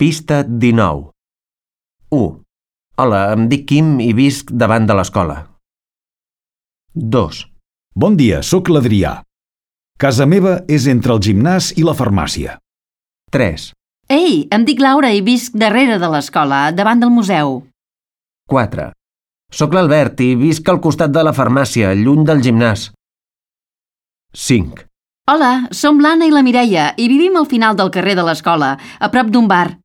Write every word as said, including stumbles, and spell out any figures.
Pista dinou. u. Hola, em dic Quim i visc davant de l'escola. dos. Bon dia, sóc l'Adrià. Casa meva és entre el gimnàs i la farmàcia. tres. Ei, em dic Laura i visc darrere de l'escola, davant del museu. quatre. Soc l'Albert i visc al costat de la farmàcia, lluny del gimnàs. cinc. Hola, som l'Anna i la Mireia i vivim al final del carrer de l'escola, a prop d'un bar.